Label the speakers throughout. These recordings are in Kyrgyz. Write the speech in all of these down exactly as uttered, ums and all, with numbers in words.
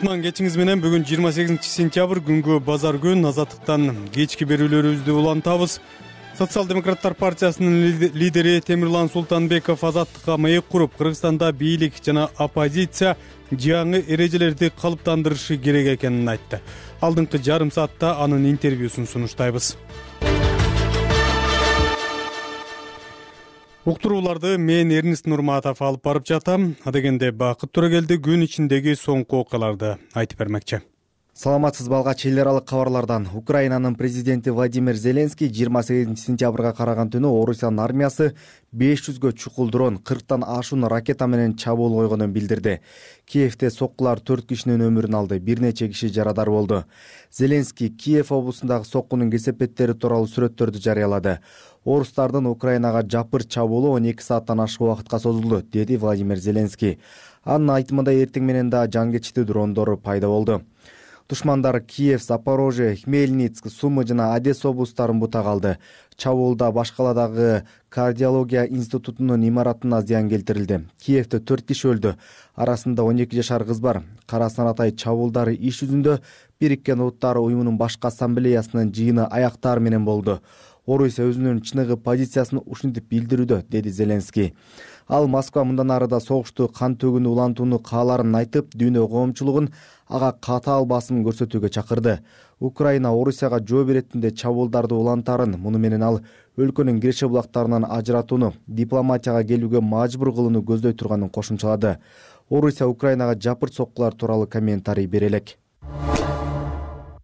Speaker 1: Кутман кечиңиз менен. Бүгүн жыйырма сегизинчи сентябрь күнгө базар күн. Азаттыктан кечки берүүлөрүбүздү улантабыз. Социал-демократтар партиясынын лидери Темирлан Султанбеков азаттыкка маек куруп, Кыргызстанда бийлик жана оппозиция жаңы эрежелерди калыптандырышы керек экенин айтты. Алдыңкы жарым саатта анын интервьюсун сунуштайбыз. Уктурууларды мен Эрнист Нурматов алып барып жатам. Адегенде Бакыт Төрөгелди күн ичиндеги соңку окуяларды айтып бермекчи.
Speaker 2: Саламатсызбы, алгач эл аралык кабарлардан. Украинанын президенти Владимир Зеленский жыйырма сегизинчи сентябрга караган түнү Орусиянын армиясы беш жүзгө чукул дрон, кырктан ашуун ракета менен чабуул койгонун билдирди. Киевде соккулар төрт кишинин өмүрүн алды, бир нече киши жарадар болду. Зеленский Киев облусундагы соккунун кесепеттери тууралуу сүрөттөрдү жарыялады. Орустардын Украинага жапыр чабуулу он эки сааттан ашык убакытка созулду, деди Владимир Зеленский. Анын айтымында эртең менен да жангечтүү дрондор пайда болду. Душмандар Киев, Запорожье, Хмельницк, Сумы жана Одесса облустарын бутак алды. Чабуулда башкаладагы кардиология институтунун имаратына зыян келтирилди. Киевде төрт киши өлдү. Арасында он эки жашар кыз бар. Кара Саратай чабуулдары иш жүзүндө Бириккен Улуттар уюмунун башкы ассамблеясынын жыйыны аяктар менен болду. Орусия өзүнүн чыныгы позициясын ушинтип билдирүүдө, деди Зеленский. Ал Москва мындан ары да согушту кан төгүүнү улантууну кааларын айтып, дүйнө коомчулугун ага катаал басым көрсөтүүгө чакырды. Украина Орусияга жооп иретинде чабуулдарды улантарын, муну менен ал өлкөнүн киреше булактарынан ажыратууну, дипломатияга келүүгө мажбур кылууну көздөй турганын кошумчалады. Орусия Украинага жапыр соккулар тууралуу комментарий бере элек.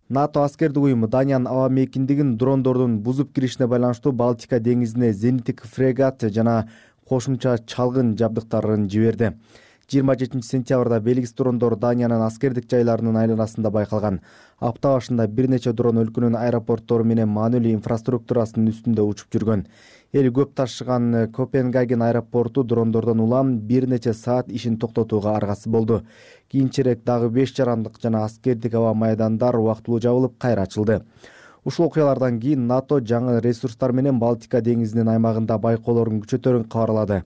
Speaker 2: НАТО аскердик уюму Даниянын аба мейкиндигин дрондордун бузуп киришине байланыштуу Балтика деңизине зениттик фрегат жана кошумча чалгын жабдыктарын жиберди. жыйырма жетинчи сентябрда белгисиз дрондор Даниянын аскердик жайларынын айланасында байкалган. Апта башында бир нече дрон өлкөнүн аэропорттору менен маанилүү инфраструктурасынын үстүндө учуп жүргөн. Эл көп ташыган Копенгаген аэропорту дрондордон улам бир нече саат ишин токтотууга аргасыз болду. Кийинчерээк дагы беш жарандык жана аскердик аба майдандар убактылуу жабылып, кайра ачылды. Ушул окуялардан кийин НАТО жаңы ресурстар менен Балтика деңизинин аймагында байкоолорун күчөтөрүн кабарлады.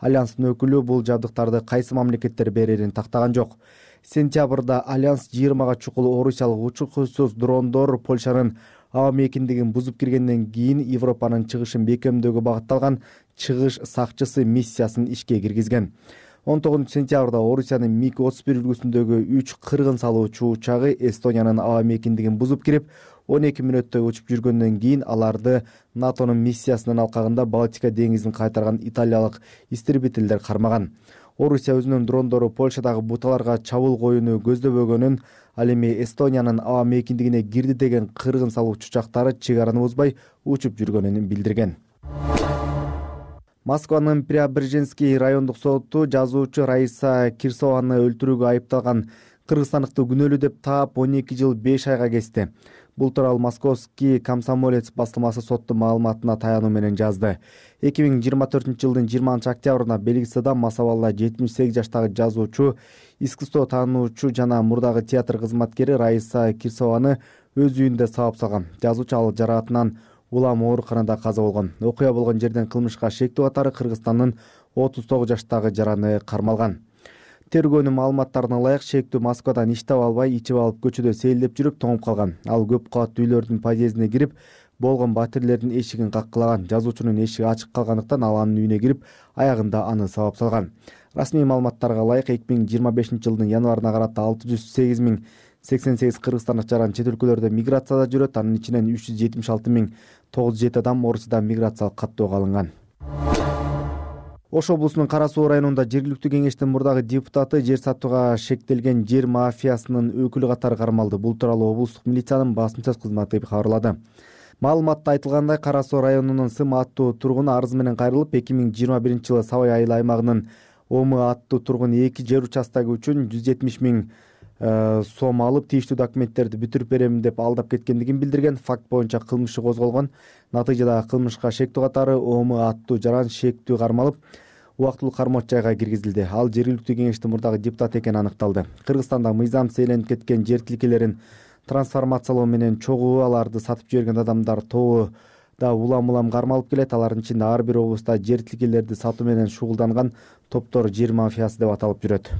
Speaker 2: Альянстын өкүлү бул жабдыктарды кайсы мамлекеттер берерин тактаган жок. Сентябрда Альянс жыйырмага чукул орусиялык учкучсуз дрондор Польшанын аба мейкиндигин бузуп киргенден кийин Европанын чыгышын бекемдөөгө багытталган чыгыш сакчысы миссиясын ишке киргизген. он тогузунчу сентябрда Орусиянын миг отуз бир үлгүсүндөгү үч кыргын салуучу учагы Эстониянын аба мейкиндигин бузуп кирип, он эки мүнөттө учуп жүргөндөн кийин аларды НАТОнун миссиясынын алкагында Балтика деңизин кайтарган италиялык истребительдер кармаган. Орусия өзүнүн дрондору Польшадагы буталарга чабуул коюуну көздөбөгөнүн, ал эми Эстониянын аба мейкиндигине кирди деген кыргын салуучу учактары чек араны бузбай учуп жүргөнүн билдирген. Москванын Преображенский райондук соту жазуучу Раиса Кирсованы өлтүрүүгө айыпталган кыргызстандыкты күнөөлүү деп таап он эки жыл беш айга кести. Бул тууралуу Московский комсомолец басылмасы соттун маалыматына таянуу менен жазды. эки миң жыйырма төртүнчү жылдын жыйырманчы октябрында белгисиз адам мас абалда жетимиш сегиз жаштагы жазуучу, искусство таануучу жана мурдагы театр кызматкери Раиса Кирсованы өз үйүндө сабап салган. Жазуучу ал жараатынан улам ооруканада каза болгон. Окуя болгон жерден кылмышка шектүү катары Кыргызстандын отуз тогуз жаштагы жараны кармалган. Тергөөнүн маалыматтарына ылайык, шектүү Москвадан иш таба албай, ичип алып көчөдө сейилдеп жүрүп тоңуп калган. Ал көп кабаттуу үйлөрдүн подъездине кирип, болгон батирлердин эшигин каккылаган. Жазуучунун эшиги ачык калгандыктан ал анын үйүнө кирип, аягында аны сабап салган. Расмий маалыматтарга ылайык, эки миң жыйырма бешинчи жылдын январына карата алты жүз сегиз миң сексен сегиз кыргызстандык жаран чет өлкөлөрдө миграцияда жүрөт. Анын ичинен үч жүз жетимиш алты миң тогуз жүз жети адам Орусияда миграциялык каттоого алынган. Ош облусунун Кара Суу районунда жергиликтүү кеңештин мурдагы депутаты жер сатууга шектелген жер мафиясынын өкүлү катары кармалды. Бул тууралуу облустук милициянын басма сөз кызматы кабарлады. Маалыматта айтылгандай, Кара Суу районунун Сым аттуу тургуну арыз менен кайрылып, эки миң жыйырма биринчи жылы Сабай айыл аймагынын Омы аттуу тургун эки жер участогу үчүн жүз жетимиш миң сом алып, тийиштүү документтерди бүтүрүп берем деп алдап кеткендигин билдирген. Факт боюнча кылмыш козголгон. Натыйжада кылмышка шектүү катары Омы аттуу жаран шектүү кармалып, убактылуу кармоочу жайга киргизилди. Ал жергиликтүү кеңештин мурдагы депутаты экени аныкталды. Кыргызстанда мыйзамсыз ээленип кеткен жер тилкелерин трансформациялоо менен чогуу аларды сатып жиберген адамдар тобу да улам-улам кармалып келет. Алардын ичинде ар бир облуста жер тилкелерди сатуу менен шугулданган топтор жер мафиясы деп аталып жүрөт.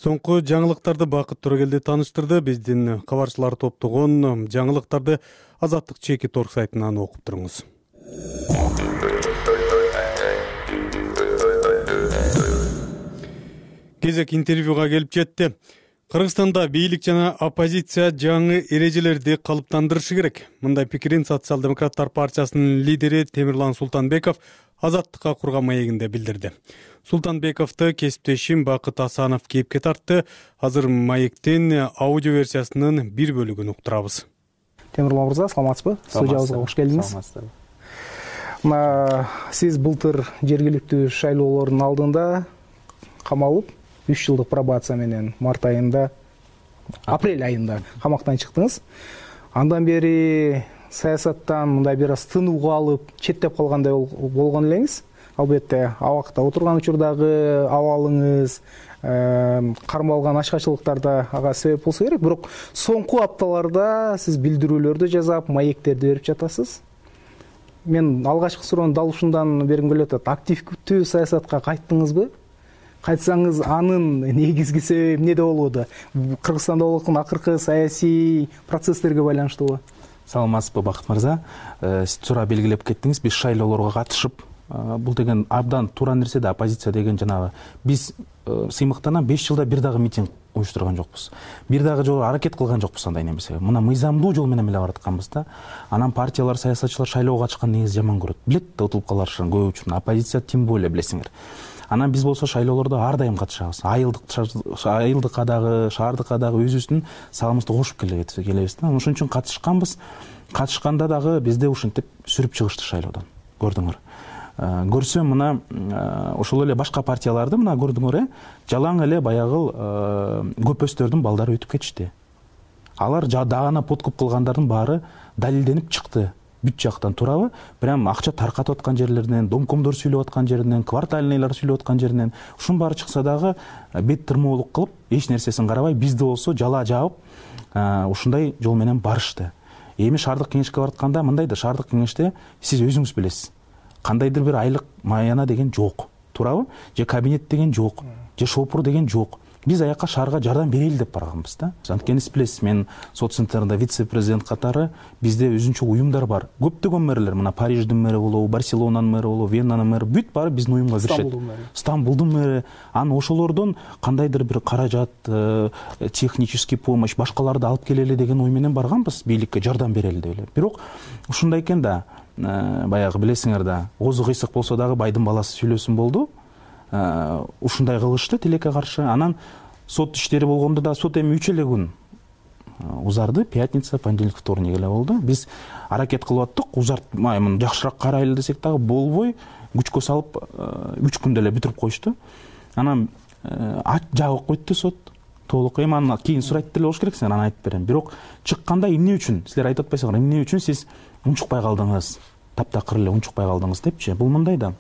Speaker 1: Соңку жаңылыктарды Бакыт Төрөгелди тааныштырды. Биздин кабарчылар топтогон жаңылыктарды Азаттык чеки торг сайтынан окуп туруңуз. Кезек интервьюга келип жетти. Кыргызстанда бийлик жана оппозиция жаңы эрежелерди калыптандырышы керек. Мындай пикирин Социал-демократтар партиясынын лидери Темирлан Султанбеков Азаттыкка курган маегинде билдирди. Султанбековду кесиптешим Бакыт Асанов кейипке тартты. Азыр маектин аудио версиясынын бир бөлүгүн уктурабыз.
Speaker 3: Темирлан мырза, саламатсызбы? Студиябызга кош келдиңиз. Мына сиз былтыр жергиликтүү шайлоолордун алдында камалып, үч жылдык пробация менен март айында, апрель айында камактан чыктыңыз. Андан бери саясаттан мындай бир аз тынууга алып, четтеп калгандай болгон элеңиз. Албетте, абакта отурган учурдагы абалыңыз, кармалган ачкачылыктар да ага себеп болсо керек. Бирок соңку апталарда сиз билдирүүлөрдү жасап, маектерди берип жатасыз. Мен алгачкы суроонун дал ушундан бергим келип атат. Активдүү саясатка кайттыңызбы? Кайтсаңыз, анын негизги себеби эмнеде болууда? Кыргызстанда болуп аткан акыркы саясий процесстерге байланыштуубу?
Speaker 4: Саламатсызбы, Бакыт мырза. Сиз туура белгилеп кеттиңиз. Биз шайлоолорго катышып, бул деген абдан туура нерсе да, оппозиция деген жанагы биз сыймыктанан беш жылда бир дагы митинг уюштурган жокпуз. Бир дагы жолу аракет кылган жокпуз андай немесе. Мына мыйзамдуу жол менен эле баратканбыз да. Анан партиялар, саясатчылар шайлоого катышкан негизи жаман көрөт. Билет да утулуп калышын көп үчүн. Оппозиция тем более билесиңер. Анан биз болсо шайлоолордо ар дайым катышабыз. Айылдык, айылдыкка дагы, шаардыкка дагы өзүбүздүн салымыбызды кошуп келебиз да. Ошон үчүн катышканбыз. Катышканда дагы бизди ушинтип сүрүп чыгышты шайлоодон. Көрдүңөр. Көрсөм мына ошол эле башка партияларды мына көрдүңөр, э, жалаң эле баягы көпөстөрдүн балдары өтүп кетишти. Алар дагана подкуп кылгандардын баары далилденип чыкты. Бүт жактан туурабы? Прям акча таркатып аткан жерлеринен, домкомдор сүйлөп аткан жеринен, квартальныйлар сүйлөп аткан жеринен, ушун баары чыкса дагы бет тырмоолук кылып, эч нерсесин карабай, бизди болсо жала жаап, ушундай жол менен барышты. Эми шаардык кеңешке баратканда мындай да, шаардык кеңеште сиз өзүңүз билесиз. Кандайдыр бир айлык маяна деген жок. Туурабы? Же кабинет деген жок, же шопур деген жок. Биз аяка шаарга жардам берели деп барганбыз да. Анткени сиз билесиз, мен сот центринде вице-президент катары бизде өзүнчө уюмдар бар. Көптөгөн мэрлер, мына Париждин мэри болобу, Барселонанын мэри болобу, Веннанын мэри, бүт баары биздин уюмга киришет. Стамбулдун мэри. Анан ошолордон кандайдыр бир каражат, технический помощь, башкаларды алып келели деген ой менен барганбыз, бийликке жардам берели деп эле. Бирок ушундай экен да, баягы билесиңер да, оозу кыйсык болсо дагы байдын баласы сүйлөсүн болду. Ушундай кылышты тилекке каршы. Анан сот иштери болгондо да сот эми үч эле күн узарды. Пятница, понедельник, вторник эле болду. Биз аракет кылып аттык, узартмай муну жакшыраак карайлы десек дагы болбой, күчкө салып үч күндө эле бүтүрүп коюшту. Анан жабык койду сот. Толук эми анан кийин сурайт деле болуш керек, сен анан айтып берем. Бирок чыкканда эмне үчүн, силер айтып атпайсыңар, эмне үчүн сиз унчукпай калдыңыз, таптакыр эле унчукпай калдыңыз депчи. Бул мындай да.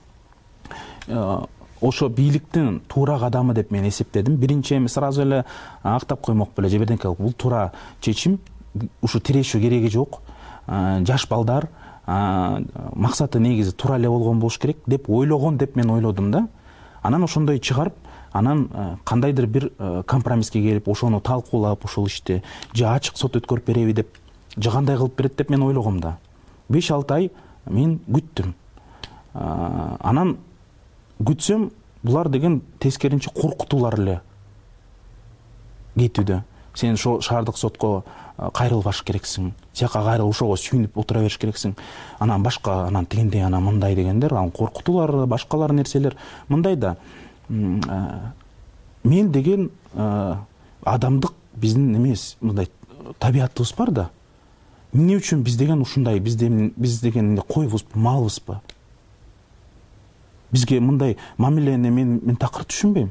Speaker 4: Ошо бийликтин туура кадамы деп мен эсептедим. Биринчи эми сразу эле актап коймок беле же бирдеке кылып, бул туура чечим. Ушу тирешүү кереги жок. Жаш балдар, максаты негизи туура эле болгон болуш керек деп ойлогон деп мен ойлодум да. Анан ошондой чыгарып, анан кандайдыр бир компромисске келип, ошону талкуулап, ошол ишти же ачык сот өткөрүп береби деп, же кандай кылып берет деп мен ойлогом да. беш алты ай мен күттүм. Анан күтсөм, булар деген тескеринче коркутуулар эле кетүүдө. Сен шаардык сотко кайрылбаш керексиң, тияка кайрыл, ошого сүйүнүп отура бериш керексиң. Анан башка, анан тигиндей, анан мындай дегендер, анан коркутуулар, башкалар нерселер. Мындай да, мен деген адамдык биздин эмес, мындай табиятыбыз бар да. Эмне үчүн биз деген ушундай, биз деген койбузбу, малбызбы? Бизге мындай мамилени мен мен такыр түшүнбөйм.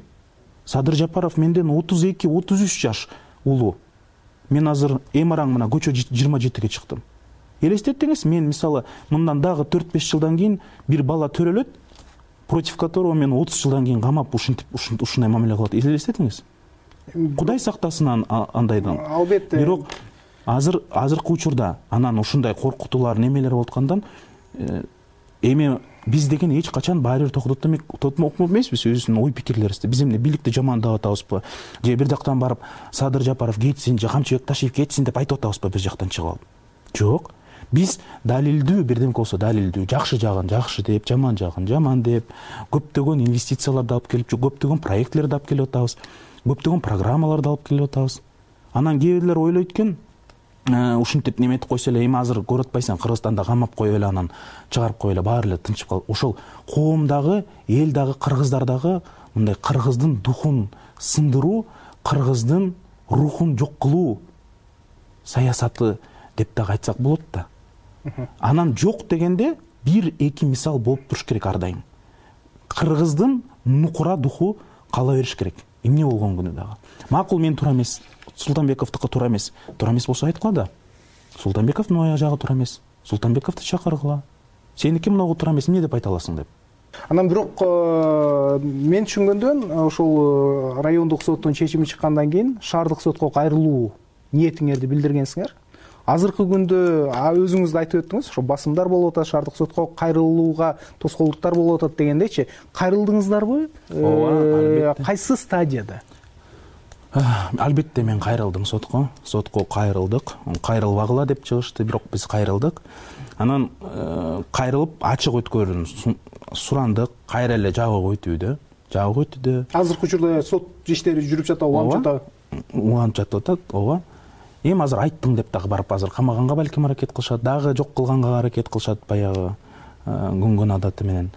Speaker 4: Садыр Жапаров менден отуз эки отуз үч жаш улуу. Мен азыр эми араң мына көчө жыйырма жетиге чыктым. Элестетиңиз, мен мисалы мындан дагы төрт беш жылдан кийин бир бала төрөлөт, против которого мен отуз жылдан кийин камап ушинтип ушундай мамиле кылат. Элестетиңиз. Кудай сактасын андайдан.
Speaker 3: Албетте.
Speaker 4: Бирок азыр азыркы учурда анан ушундай коркутуулар, немелер болуп аткандан эми биз деген эч качан баары бир токтотмок эмеспиз өзүбүздүн ой пикирлерибизди. Биз эмне бийликти жамандап атабызбы же бир жактан барып Садыр Жапаров кетсин же Камчыбек Ташиев кетсин деп айтып атабызбы бир жактан чыгып алып? Жок. Биз далилдүү бирдемке болсо далилдүү, жакшы жагын жакшы деп, жаман жагын жаман деп, көптөгөн инвестицияларды алып келип, көптөгөн проектлерди алып келип атабыз, көптөгөн программаларды алып келип атабыз. Анан кээ бирлер ойлойт экен, ушинтип неметип койсо эле, эми азыр көрүп атпайсың, Кыргызстанда камап коюп эле анан чыгарып коюп эле баары эле тынчып калып. Ошол коомдагы, эл дагы, кыргыздар дагы мындай кыргыздын духун сындыруу, кыргыздын рухун жок кылуу саясаты деп дагы айтсак болот да. Анан жок дегенде бир эки мисал болуп туруш керек ар дайым. Кыргыздын нукура духу кала бериш керек. Эмне болгон күнү дагы. Макул, мен туура эмес, Султанбековдуку туура эмес. Туура эмес болсо айткыла да. Султанбековдун аяк жагы туура эмес. Султанбековду чакыргыла. Сеники мынагу туура эмес, эмне деп айта аласың деп.
Speaker 3: Анан бирок мен түшүнгөндөн ошол райондук соттун чечими чыккандан кийин шаардык сотко кайрылуу ниетиңерди билдиргенсиңер. Азыркы күндө өзүңүз да айтып өттүңүз, ошо басымдар болуп атат, шаардык сотко кайрылууга тоскоолдуктар болуп атат дегендейчи. Кайрылдыңыздарбы? Ооба, кайсы стадияда?
Speaker 4: Албетте мен кайрылдым сотко. Сотко кайрылдык. Кайрылбагыла деп чыгышты, бирок биз кайрылдык. Анан кайрылып ачык өткөрүүнү сурандык. Кайра эле жабык өтүүдө, жабык өтүүдө.
Speaker 3: Азыркы учурда сот иштери жүрүп жатат, уланып жатат.
Speaker 4: Уланып жатып атат, ооба. Эми азыр айттым деп дагы барып азыр камаганга балким аракет кылышат, дагы жок кылганга аракет кылышат баягы күнгөн адаты менен.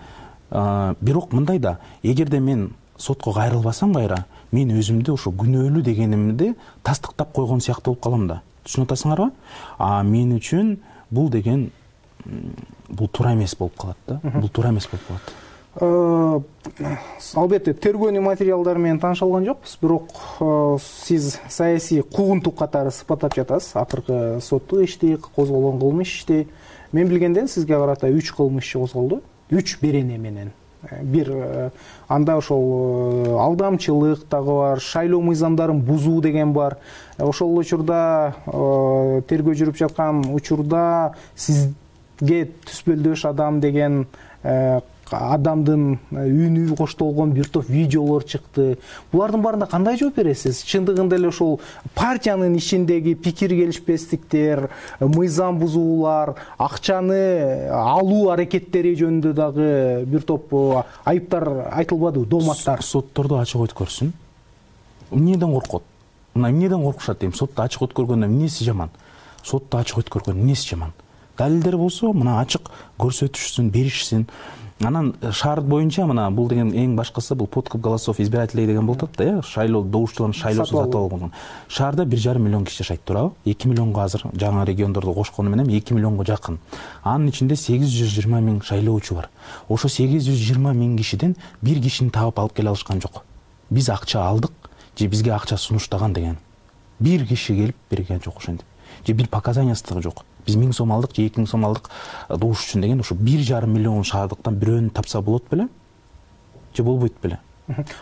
Speaker 4: Бирок мындай да, эгерде мен сотко кайрылбасам кайра, мен өзүмдү ошо күнөөлүү дегенимди тастыктап койгон сыяктуу болуп калам да. Түшүнүп атасыңарбы? А мен үчүн бул деген бул туура эмес болуп калат да. Бул туура эмес болуп калат.
Speaker 3: Албетте тергөөнүн материалдары менен тааныша алган жокпуз, бирок сиз саясий куугунтук катары сыпаттап жатасыз. Акыркы соттук ишти, козголгон кылмыш ишти. Мен билгенден сизге карата үч кылмыш иши козголду. үч берене менен. Бир анда ошол алдамчылык дагы бар, шайлоо мыйзамдарын бузуу деген бар. Ошол учурда тергөө жүрүп жаткан учурда сизге түспөлдөш адам деген адамдын үнү коштолгон бир топ видеолор чыкты. Булардын баарына кандай жооп бересиз? Чындыгында эле ошол партиянын ичиндеги пикир келишпестиктер, мыйзам бузуулар, акчаны алуу аракеттери жөнүндө дагы бир топ айыптар айтылбадыбы, дооматтар?
Speaker 4: Сотторду ачык өткөрсүн. Эмнеден коркот? Мына эмнеден коркушат дейм? Сотто ачык өткөргөндөн эмнеси жаман? Сотто ачык өткөргөндөн эмнеси жаман? Далилдер болсо, мына ачык көрсөтүшсүн, беришсин. Анан шаар боюнча мына бул деген эң башкысы бул подкуп голосов избирателей деген болуп атат да, э, шайлоо добуштуулардын шайлоосун сатып алган. Шаарда бир жарым миллион киши жашайт, туурабы? эки миллионго азыр жаңы региондорду кошкону менен эки миллионго жакын. Анын ичинде сегиз жүз жыйырма миң шайлоочу бар. Ошо сегиз жүз жыйырма миң кишиден бир кишини таап алып келе алышкан жок. Биз акча алдык же бизге акча сунуштаган деген. Бир киши келип берген жок ошентип. Же бир показаниясы жок. Биз миң сом алдык же эки миң сом алдык добуш үчүн деген, ошо бир жарым миллион шаардыктан бирөөнү тапса болот беле? Же болбойт беле?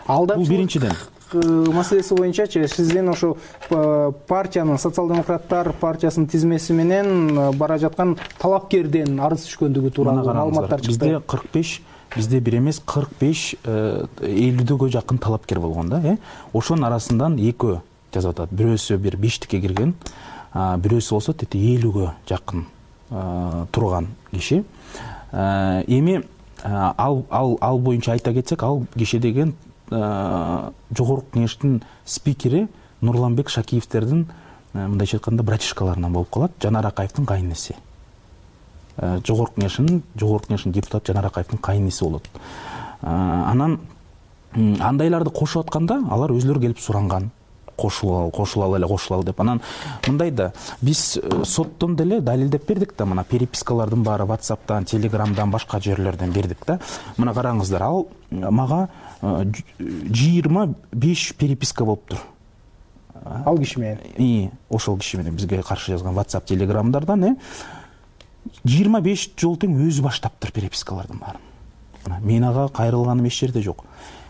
Speaker 4: Бул биринчиден.
Speaker 3: Маселеси боюнчачы сиздин ошо партиянын, социал-демократтар партиясынын тизмеси менен бара жаткан талапкерден арыз түшкөндүгү тууралуу маалыматтар чыкты.
Speaker 4: Бизде кырк беш, бизде бир эмес кырк беш элүүгө жакын талапкер болгон да, э? Ошонун арасынан экөө жазып атат. Бирөөсү бир бештикке кирген, бирөөсү болсо тете элүүгө жакын турган киши. Эми ал ал ал боюнча айта кетсек, ал киши деген жогорку кеңештин спикери Нурланбек Шакиевтердин мындайча айтканда братишкаларынан болуп калат, Жанар Акаевдин кайнеси. Жогорку кеңештин жогорку кеңештин депутаты Жанар Акаевдин кайнеси болот. Анан андайларды кошуп атканда алар өзүлөрү келип суранган. Кошулал, кошулал эле, кошулал деп. Анан мындай да, биз соттон деле далилдеп бердик да, мына перепискалардын баары WhatsApp'тан, Telegram'дан, башка жерлерден бердик да. Мына караңыздар, ал мага жыйырма беш переписка болуптур.
Speaker 3: Ал киши менен.
Speaker 4: И, ошол киши менен бизге каршы жазган WhatsApp, Telegram'дардан, э, жыйырма беш жолу тең өзү баштаптыр перепискалардын баарын. Мен ага кайрылганым эч жерде жок.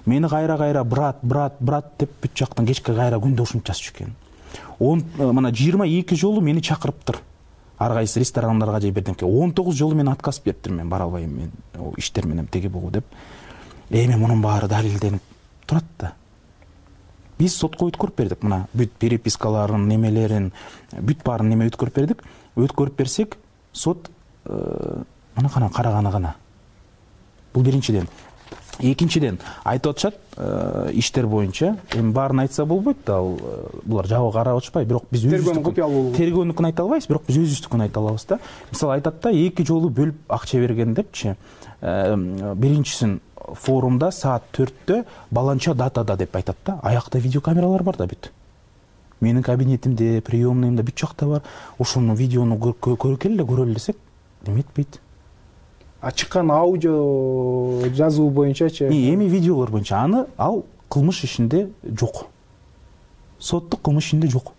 Speaker 4: Мени кайра-кайра брат, брат, брат деп бүт жактан кечке кайра күндө ушинтип жазып жүргөн. Он мына жыйырма эки жолу мени чакырыптыр. ар кайсы ресторандарга же бирдемке он тогуз жолу мен отказ бериптирмин, мен бара албайм, мен иштер менен теге бугу деп. Эми мунун баары далилденип турат да. Биз сотко өткөрүп бердик, мына бүт перепискаларын, немелерин, бүт баарын неме өткөрүп бердик. Өткөрүп берсек, сот мына кана караганы гана. Бул биринчиден. Экинчиден, айтып атышат, иштер боюнча, эми баарын айтса болбойт да, ал булар жабык карап атышпайбы, бирок биз
Speaker 3: тергөөнүн купуялуулугу.
Speaker 4: Тергөөнүкүн айта албайбыз, бирок биз өзүбүздүкүн айта алабыз да. Мисалы айтат да, эки жолу бөлүп акча берген депчи. Биринчисин форумда саат төрттө баланча датада деп айтат да. Аякта видеокамералар бар да бүт. Менин кабинетимде, приемныйымда бүт жакта бар. Ошону видеону көргөн эле көрөлү десек, эметпейт.
Speaker 3: А чыккан аудио жазуу боюнчачы?
Speaker 4: Эми видеолор боюнча аны ал кылмыш ишинде жок. Соттук кылмыш ишинде жок.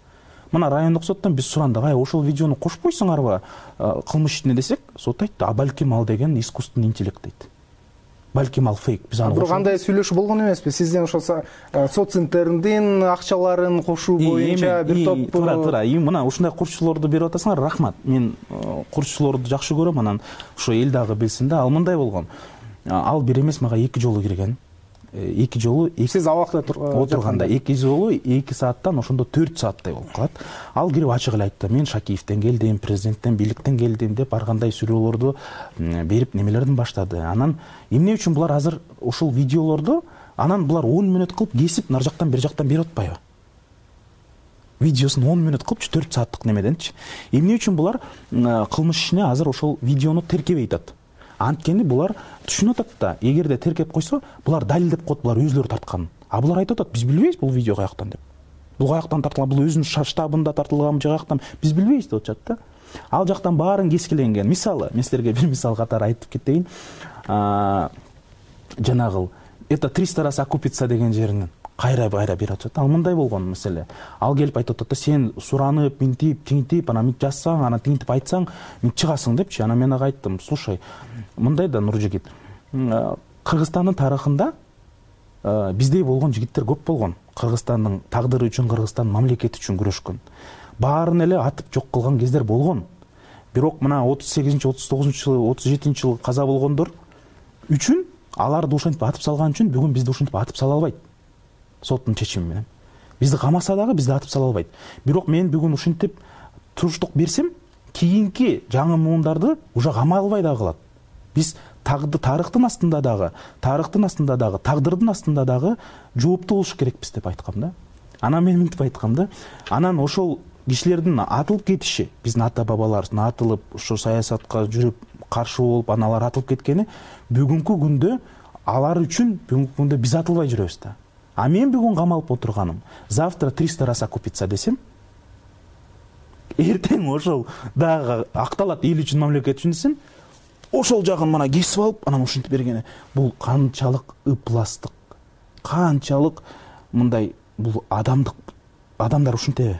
Speaker 4: Мына райондук соттон биз сурандык, ай ошол видеону кошпойсуңарбы кылмыш ишине десек, сот айтты, а балким ал деген искусственный интеллект дейт. Балким ал фейк. Биз аны
Speaker 3: бирок андай сүйлөшүү болгон эмеспи? Сизден ошол соццентрдин акчаларын кошуу боюнча бир топ
Speaker 4: тура тура. Мына ушундай курчулорду берип атасыңар, рахмат. Мен курчулорду жакшы көрөм, анан ошо эл дагы билсин да. Ал мындай болгон. Ал бир эмес, мага эки жолу кирген. Эки жолу
Speaker 3: сиз абакта
Speaker 4: отурганда эки жолу эки сааттан ошондо төрт сааттай болуп калат. Ал кирип ачык эле айтты, мен Шакиевден келдим, президенттен, бийликтен келдим деп ар кандай сүйлөөлөрдү берип немелердин баштады. Анан эмне үчүн булар азыр ошол видеолорду анан булар он мүнөт кылып кесип нар жактан бер жактан берип атпайбы? Видеосун он мүнөт кылыпчы, төрт сааттык немеденчи. Эмне үчүн булар кылмыш ишине азыр ошол видеону теркебей атат? Анткени булар түшүнүп атат да, эгерде теркеп койсо, булар далилдеп коет, булар өзлөрү тарткан. А булар айтып атат, биз билбейбиз бул видео каяктан деп. Бул каяктан тартылган, бул өзүнүн штабында тартылганбы, же каяктан, биз билбейбиз деп атышат да. Ал жактан баарын кескиленген. Мисалы, мен силерге бир мисал катары айтып кетейин. Жанагыл это триста раз окупится деген жеринен кайра кайра берип атышат. Ал мындай болгон маселе. Ал келип айтып атат да, сен суранып, минтип, тиңтип, анан минтип жазсаң, анан тиңтип айтсаң, мен чыгасың депчи. Анан мен ага айттым, слушай, мындай да Нуржигит, Кыргызстандын тарыхында биздей болгон жигиттер көп болгон. Кыргызстандын тагдыры үчүн, Кыргызстандын мамлекети үчүн күрөшкөн. Баарын эле атып жок кылган кездер болгон. Бирок мына отуз сегизинчи, отуз тогузунчу жылы, отуз жетинчи жылы каза болгондор үчүн, аларды ушинтип атып салган үчүн бүгүн бизди ушинтип атып сала албайт. Соттун чечими менен. Бизди камаса дагы бизди атып сала албайт. Бирок мен бүгүн ушинтип туруштук берсем, кийинки жаңы муундарды уже камай албай дагы калат. Биз тагды тарыхтын астында дагы, тарыхтын астында дагы, тагдырдын астында дагы жооптуу болуш керекпиз деп айткам да. Анан мен мынтип айткам да. Анан ошол кишилердин атылып кетиши, биздин ата бабаларыбыздын атылып, ошо саясатка жүрүп, каршы болуп, анан алар атылып кеткени бүгүнкү күндө алар үчүн бүгүнкү күндө биз атылбай жүрөбүз да. А мен бүгүн камалып отурганым, завтра триста раз окупится десем, эртең ошол дагы акталат, эл үчүн, мамлекет үчүн десем, ошол жагын мына кесип алып, анан ушинтип бергени. Бул канчалык ыпластык, канчалык мындай, бул адамдык, адамдар ушинтеби?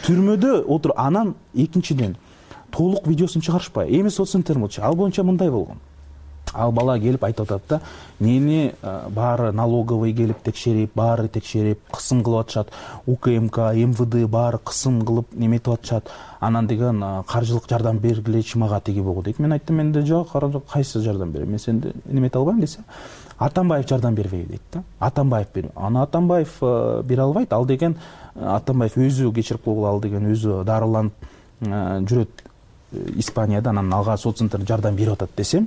Speaker 4: Түрмөдө отур, анан экинчиден толук видеосун чыгарышпай. Эми соццентр болчу, ал боюнча мындай болгон. Ал бала келип айтып атат да, мени баары налоговый келип текшерип, баары текшерип, кысым кылып атышат, УКМК, МВД баары кысым кылып неметип атышат. Анан деген каржылык жардам бергилечи мага тиги богу дейт. Мен айттым, менде жок, кайсы жардам берем? Мен сенде немете албайм десе, Атамбаев жардам бербейби дейт да. Атамбаев берип. Аны Атамбаев бере албайт. Ал деген Атамбаев өзү кечирип койгула, ал деген өзү дарыланып жүрөт Испанияда, анан алга соццентр жардам берип атат десем,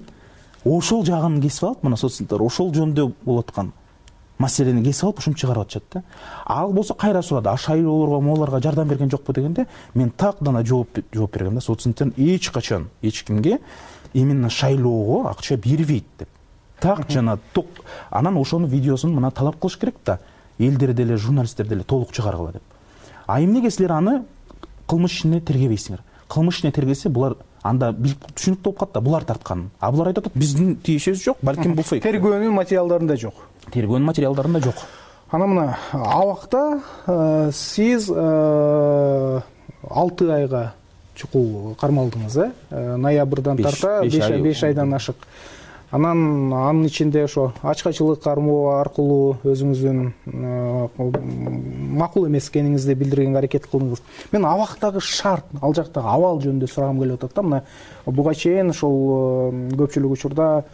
Speaker 4: ошол жагын кесип алып, мына соццентр ошол жөнүндө болуп аткан маселени кесип алып, ушинтип чыгарып атышат да. Ал болсо кайра сурады, а шайлоолорго, моолорго жардам берген жокпу дегенде, мен так гана жооп жооп бергем да, соццентр эч качан эч кимге именно шайлоого акча бербейт деп. Так жана ток. Анан ошонун видеосун мына талап кылыш керек да, элдер деле, журналисттер деле толук чыгаргыла деп. А эмнеге силер аны кылмыш ишине тергебейсиңер? Кылмыш ишине тергесе, булар анда түшүнүктүү болуп калат да, булар тарткан. А булар айтып атат, биздин тиешебиз жок, балким бул фейк.
Speaker 3: Тергөөнүн материалдарында жок.
Speaker 4: Тергөөнүн материалдарында жок.
Speaker 3: Ана мына абакта сиз алты айга чукул кармалдыңыз, э? Ноябрдан тарта беш айдан ашык Анан анын ичинде ошо ачкачылык кармоо аркылуу өзүңүздүн макул эмес экениңизди билдиргенге аракет кылдыңыз. Мен абактагы шарт, ал жактагы абал жөнүндө сурагым келип атат да. Мына буга чейин ошол көпчүлүк учурда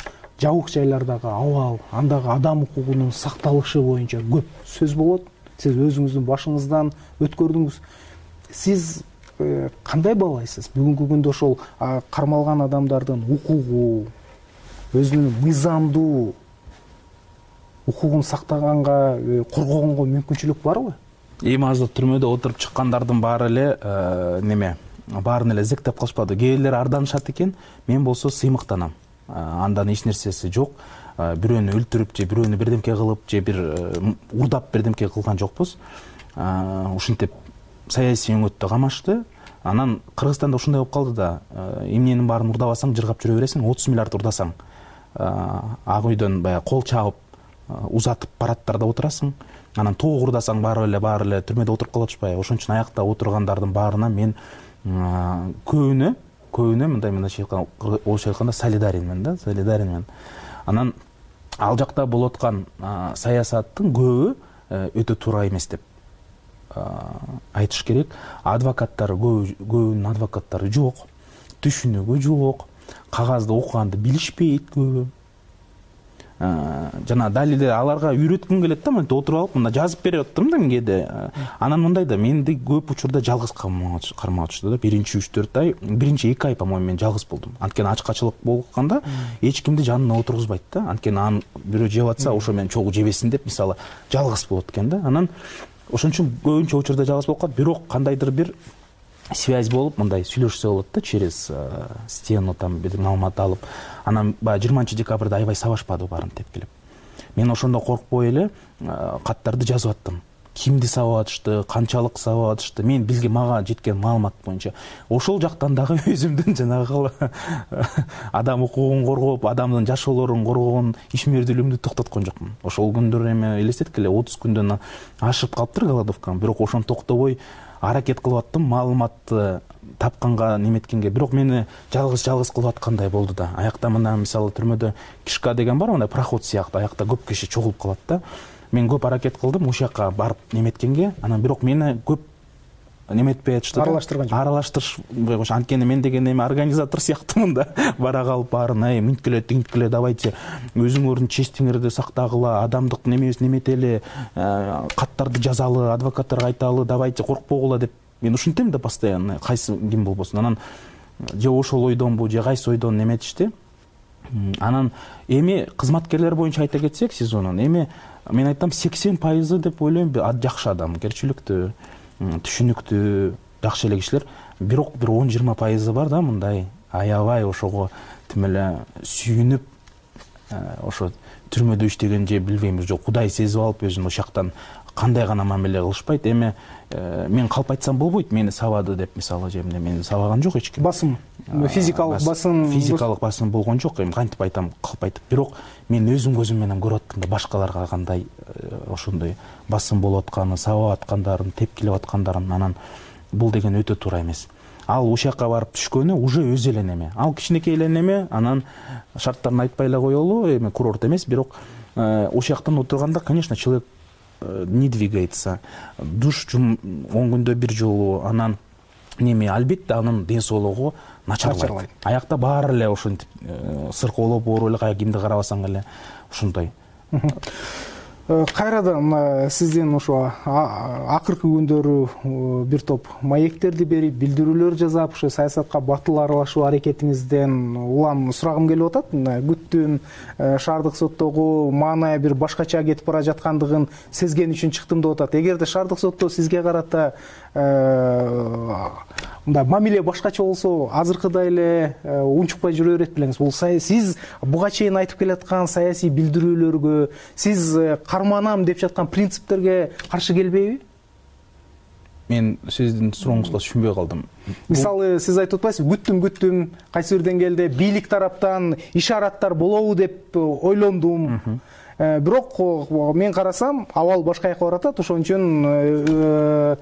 Speaker 3: жабык жайлардагы абал, андагы адам укугунун сакталышы боюнча көп сөз болот. Сиз өзүңүздүн башыңыздан өткөрдүңүз. Сиз кандай баалайсыз? Бүгүнкү күндө ошол кармалган адамдардын укугу, өзүнүн мыйзамдуу укугун сактаганга, коргогонго мүмкүнчүлүк барбы?
Speaker 4: Эми азыр түрмөдө отуруп чыккандардын баары эле неме, баарын эле зектеп калышпады. Кээ бирлери арданышат экен, мен болсо сыймыктанам. Андан эч нерсеси жок. Бирөөнү өлтүрүп же бирөөнү бирдемке кылып же бир урдап бирдемке кылган жокпуз. Ушинтип саясий өңөттө камашты. Анан Кыргызстанда ушундай болуп калды да, эмненин баарын урдабасаң жыргап жүрө бересиң, отуз миллиард урдасаң, ак үйдөн баягы кол чабып узатып парадтарда отурасың. Анан тоог урдасаң баары эле баары эле түрмөдө отуруп калып атышпайбы? Ошон үчүн аякта отургандардын баарына мен көбүнө көбүнө мындай мындайча орусча айтканда солидаренмен да, солидаренмен. Анан ал жакта болуп аткан саясаттын көбү өтө туура эмес деп айтыш керек. Адвокаттар көбүнүн адвокаттары жок, түшүнүгү жок, кагазды окуганды билишпейт көбү. Жана далилде аларга үйрөткүм келет да, мынтип отуруп алып мында жазып берип аттым да кээде. Анан мындай да, менди көп учурда жалгыз кармап атышты да. Биринчи үч төрт ай, биринчи эки ай по-моему мен жалгыз болдум. Анткени ачкачылык болгондо эч кимди жанына отургузбайт да. Анткени аны бирөө жеп атса, ошо менен чогуу жебесин деп, мисалы, жалгыз болот экен да. Анан ошон үчүн көбүнчө учурда жалгыз болуп калат. Бирок кандайдыр бир связь болуп, мындай сүйлөшсө болот да, через стену там бир маалымат алып. Анан баягы жыйырманчы декабрда аябай сабашпады баарын тепкилеп. Мен ошондо коркпой эле каттарды жазып аттым. Кимди сабап атышты, канчалык сабап атышты, мен билге мага жеткен маалымат боюнча. Ошол жактан дагы өзүмдүн жанагы адам укугун коргоп, адамдын жашоолорун коргогон ишмердүүлүгүмдү токтоткон жокмун. Ошол күндөр эми элестеткиле, эле отуз күндөн ашып калыптыр голодовкам, бирок ошону токтобой аракет кылып аттым, маалыматты тапканга неметкенге. Бирок мени жалгыз-жалгыз кылып аткандай болду да. Аякта мына мисалы түрмөдө кишка деген бар, мындай проход сыяктуу, аякта көп киши чогулуп калат да. Мен көп аракет кылдым ушул жака барып неметкенге, анан бирок мени көп неметпей атышты да.
Speaker 3: Аралаштырган жок.
Speaker 4: Аралаштырышпай коюш. Анткени мен деген эми организатор сыяктуумун да. Бара калып баарын, ай, минткиле, тинткиле, давайте өзүңөрдүн честиңерди сактагыла, адамдык немебиз неметели, каттарды жазалы, адвокаттарга айталы, давайте коркпогула деп мен ушинтем да постоянно, кайсы ким болбосун. Анан же ошол ойдонбу, же кайсы ойдон неметишти. Анан эми кызматкерлер боюнча айта кетсек, сезонун эми мен айтам сексен пайызы деп ойлойм жакшы адам, керчиликтүү, түшүнүктүү, жакшы эле кишилер. Бирок бир он жыйырма пайызы бар да, мындай аябай ошого тим эле сүйүнүп, ошо түрмөдө иштеген же билбейм, же Кудай сезип алып өзүн ошол жактан кандай гана мамиле кылышпайт. Эми мен калп айтсам болбойт, мени сабады деп, мисалы, же мени сабаган жок эч ким.
Speaker 3: Басым, физикалык басым,
Speaker 4: физикалык басым болгон жок. Эми кантип айтам, калп айтып. Бирок мен өзүм көзүм менен көрүп аттым да, башкаларга кандай ошондой басым болуп атканын, сабап аткандарын, тепкилеп аткандарын. Анан бул деген өтө туура эмес. Ал ушул жака барып түшкөнү уже өзү эле неме. Ал кичинекей эле неме, анан шарттарын айтпай эле коелу, эми курорт эмес, бирок ушул жактан отурганда, конечно, человек не двигается. Душ он күндө бир жолу, анан неме, албетте анын ден соолугу начарлайт. Аякта баары эле ошентип сыркоолоп, оору эле, кая кимди карабасаң эле ушундай.
Speaker 3: Кайрадан сиздин ошо акыркы күндөрү бир топ маектерди берип, билдирүүлөр жасап, ошо саясатка батыл аралашуу аракетиңизден улам сурагым келип атат. Күттүм, шаардык соттогу маанай бир башкача кетип бара жаткандыгын сезген үчүн чыктым деп атат. Эгерде шаардык сотто сизге карата мындай мамиле башкача болсо, азыркыдай эле унчукпай жүрө берет белеңиз. Бул сиз буга чейин айтып келаткан саясий билдирүүлөргө, сиз карманам деп жаткан принциптерге каршы келбейби?
Speaker 4: Мен сиздин сурооңузга түшүнбөй калдым.
Speaker 3: Мисалы, сиз айтып атпайсызбы, күттүм, күттүм, кайсы бир деңгээлде бийлик тараптан ишараттар болобу деп ойлондум. Бирок мен карасам, абал башка жака баратат. Ошон үчүн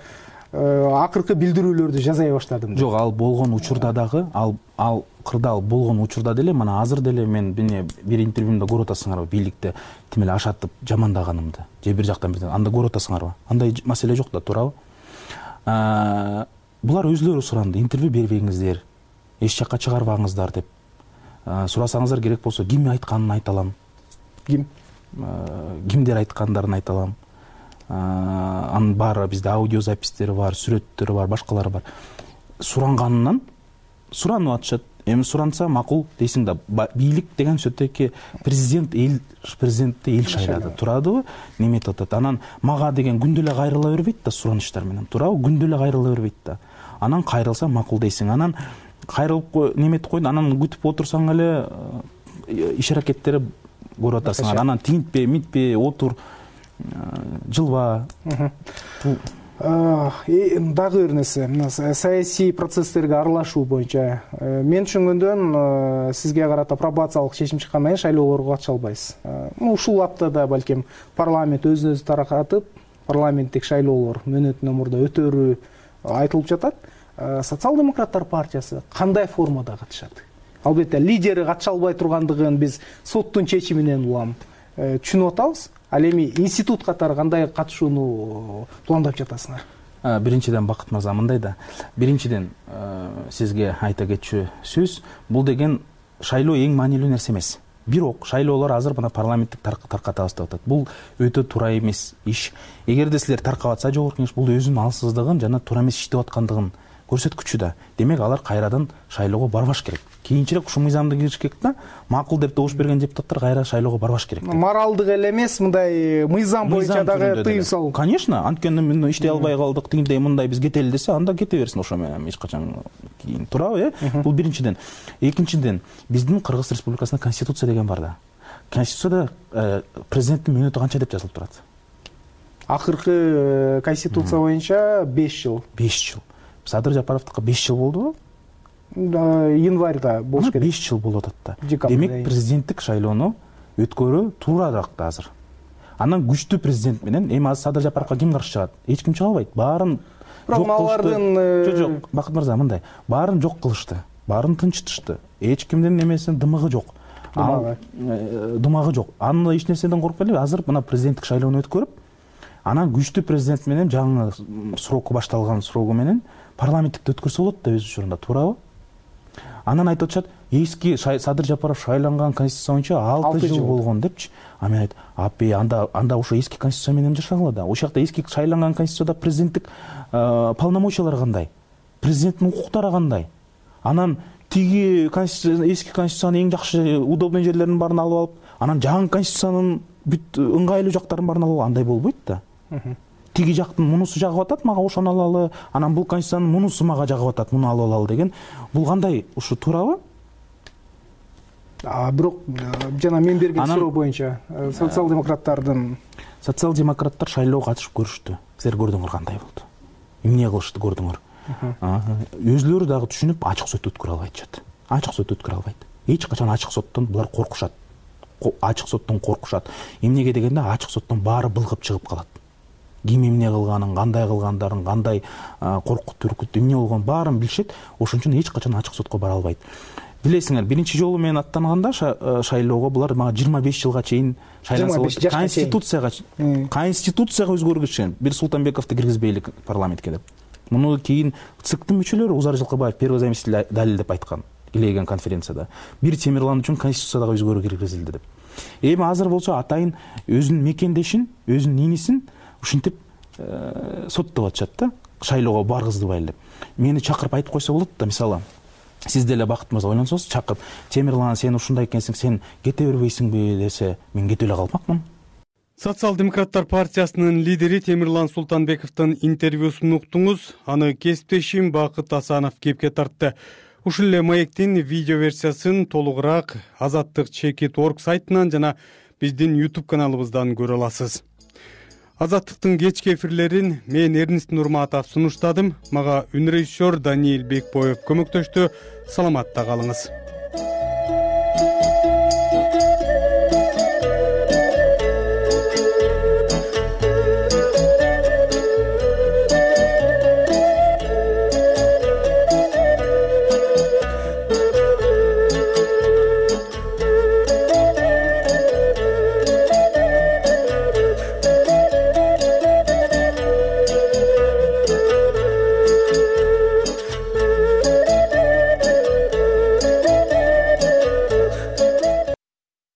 Speaker 3: акыркы билдирүүлөрдү жаза баштадым.
Speaker 4: Жок, ал болгон учурда дагы ал ал кырдаал болгон учурда деле мына азыр деле мен бине бир интервьюмда көрүп атасыңарбы, бийликте тим эле ашатып жамандаганымды же бир жактан бир анда көрүп атасыңарбы? Андай маселе жок да, туурабы? Булар өзүлөрү суранды, интервью бербеңиздер, эч жакка чыгарбаңыздар деп. Сурасаңыздар керек болсо ким айтканын айта алам.
Speaker 3: Ким?
Speaker 4: Кимдер айткандарын айта алам. Анын баары бизде аудиозапистери бар, сүрөттөрү бар, башкалары бар. Суранганынан суранып атышат. Эми суранса макул дейсиң да, бийлик деген сөтөки президент эл президентти эл шайлады, турадыбы? Неметип атат. Анан мага деген күндө эле кайрыла бербейт да суранычтар менен, туурабы? Күндө эле кайрыла бербейт да. Анан кайрылса макул дейсиң. Анан кайрылып неметип койду, анан күтүп отурсаң эле иш аракеттери көрүп атасың. Анан тинтпе, митпе, отур, жылба.
Speaker 3: Дагы бир нерсе, саясий процесстерге аралашуу боюнча мен түшүнгөндөн сизге карата пробациялык чечим чыккандан кийин шайлоолорго катыша албайсыз. Ушул аптада балким парламент өзүн өзү таркатып, парламенттик шайлоолор мөөнөтүнөн мурда өтөрү айтылып жатат. Социал-демократтар партиясы кандай формада катышат? Албетте лидери катыша албай тургандыгын биз соттун чечиминен улам түшүнүп атабыз. Ал эми институт катары кандай катышууну пландап жатасыңар?
Speaker 4: Биринчиден, Бакыт мырза, мындай да. Биринчиден сизге айта кетчү сөз, бул деген шайлоо эң маанилүү нерсе эмес. Бирок шайлоолор азыр мына парламенттик таркатабыз деп атат. Бул өтө туура эмес иш. Эгерде силер таркап атса жогорку кеңеш, бул өзүнүн алсыздыгын жана туура эмес иштеп аткандыгын көрсөткүчү да. Демек алар кайрадан шайлоого барбаш керек. Кийинчерээк ушул мыйзамды кириш керек да. Макул деп добуш берген депутаттар кайра шайлоого барбаш керек.
Speaker 3: Моралдык эле эмес, мындай мыйзам боюнча дагы тыюу салуу.
Speaker 4: Конечно, анткени мен иштей албай калдык, тигиндей мындай биз кетели десе, анда кете берсин ошо менен эч качан кийин, туурабы, э? Бул биринчиден. Экинчиден, биздин Кыргыз Республикасында конституция деген бар да. Конституцияда президенттин мөөнөтү канча деп жазылып турат?
Speaker 3: Акыркы конституция боюнча беш жыл.
Speaker 4: беш жыл. Садыр Жапаровдука беш жыл болдубу?
Speaker 3: Январда болуш керек.
Speaker 4: беш жыл болуп атат да. Демек президенттик шайлоону өткөрүү туурараак да азыр. Анан күчтүү президент менен эми азыр Садыр Жапаровго ким каршы чыгат? Эч ким чыга албайт. Баарын жок кылышты. Жок, жок, Бакыт мырза, мындай. Баарын жок кылышты. Баарын тынчытышты. Эч кимдин немесин дымыгы жок. Дымагы. Дымагы жок. Аны эч нерседен коркпой эле, азыр мына президенттик шайлоону өткөрүп, анан күчтүү президент менен жаңы сроку башталган срогу менен парламенттикти өткөрсө болот да өз учурунда, туурабы? Анан айтып атышат, эски Садыр Жапаров шайланган конституция боюнча алты жыл болгон депчи. А мен айт, апе, анда анда ошо эски конституция менен жашагыла да. Ошол жакта эски шайланган конституцияда президенттик полномочиялар кандай? Президенттин укуктары кандай? Анан тиги конституция, эски конституциянын эң жакшы удобный жерлеринин баарын алып алып, анан жаңы конституциянын бүт ыңгайлуу жактарын баарын алып, андай болбойт да. Тиги жактын мунусу жагып атат, мага ошону алалы, анан бул конституциянын мунусу мага жагып атат, муну алып алалы деген. Бул кандай? Ушу туурабы?
Speaker 3: А бирок жана мен берген суроо боюнча социал-демократтардын
Speaker 4: социал-демократтар шайлоого катышып көрүштү. Силер көрдүңөр кандай болду? Эмне кылышты көрдүңөр? Өзүлөрү дагы түшүнүп ачык сот өткөрө албайт. Ачык сот өткөрө албайт. Эч качан ачык соттон булар коркушат. Ачык соттон коркушат. Эмнеге дегенде ачык соттон баары былгып чыгып калат. Ким эмне кылганын, кандай кылгандарын, кандай коркут үркүт эмне болгонун баарын билишет. Ошон үчүн эч качан ачык сотко бара албайт. Билесиңер, биринчи жолу мен аттанганда шайлоого булар мага жыйырма беш жылга чейин шайланса болот. Конституцияга Конституцияга өзгөргүзүш үчүн бир Султанбековду киргизбейлик парламентке деп. Муну кийин ЦИКтин мүчөлөрү Узар Жылкыбаев первый заместитель далилдеп айткан Илеген конференцияда. Бир Темирлан үчүн Конституцияга өзгөрүү киргизилди деп. Эми азыр болсо атайын өзүнүн мекендешин, өзүнүн инисин ушинтип соттоп атышат да, шайлоого баргызбайлы деп. Мени чакырып айтып койсо болот да, мисалы, сиз деле Бакыт мырза ойлонсоңуз, чакырып, Темирлан, сен ушундай экенсиң, сен кете бербейсиңби десе, мен кете эле калмакмын.
Speaker 1: Социал-демократтар партиясынын лидери Темирлан Султанбековдун интервьюсун уктуңуз. Аны кесиптешим Бакыт Асанов кепке тартты. Ушул эле маектин видео версиясын толугураак азаттык чекит точка орг сайтынан жана биздин YouTube каналыбыздан көрө аласыз. Азаттыктын кечки эфирлерин мен Эрнест Нурматов сунуштадым. Мага үн режиссер Даниил Бекбоев көмөктөштү. Саламатта калыңыз.